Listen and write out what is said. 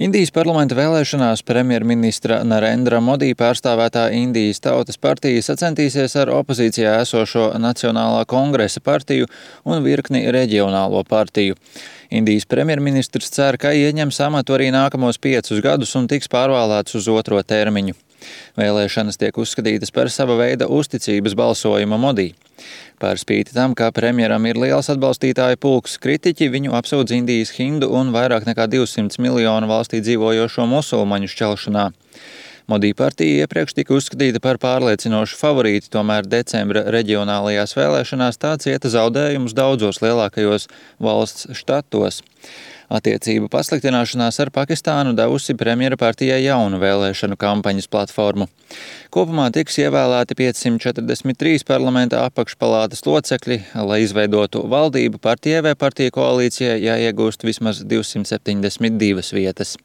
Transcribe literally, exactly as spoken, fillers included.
Indijas parlamenta vēlēšanās premjerministra Narendra Modi pārstāvētā Indijas Tautas partija sacensties ar opozīcijā esošo Nacionālā kongresa partiju un virkni reģionālo partiju. Indijas premjerministrs cer, ka ieņems amatu arī nākamos piecus gadus un tiks pārvēlēts uz otro termiņu. Vēlēšanas tiek uzskatītas par sava veida uzticības balsojumu Modi. Par spīti tam, ka premjeram ir liels atbalstītāju pulks, kritiķi viņu apsūdz Indijas hindu un vairāk nekā divsimt miljonu valstī dzīvojošo musulmaņu šķelšanā. Modi partija iepriekš tika uzskatīta par pārliecinošu favorīti, tomēr decembra reģionālajās vēlēšanās tā cieta zaudējumus daudzos lielākajos valsts štatos. Attiecību pasliktināšanās ar Pakistānu devusi premjera partijai jaunu vēlēšanu kampaņas platformu. Kopumā tiks ievēlēti piecsimt četrdesmit trīs parlamenta apakšpalātas locekļi, lai izveidotu valdību partijai vai partiju koalīcijai jāiegūst vismaz divsimt septiņdesmit divas vietas.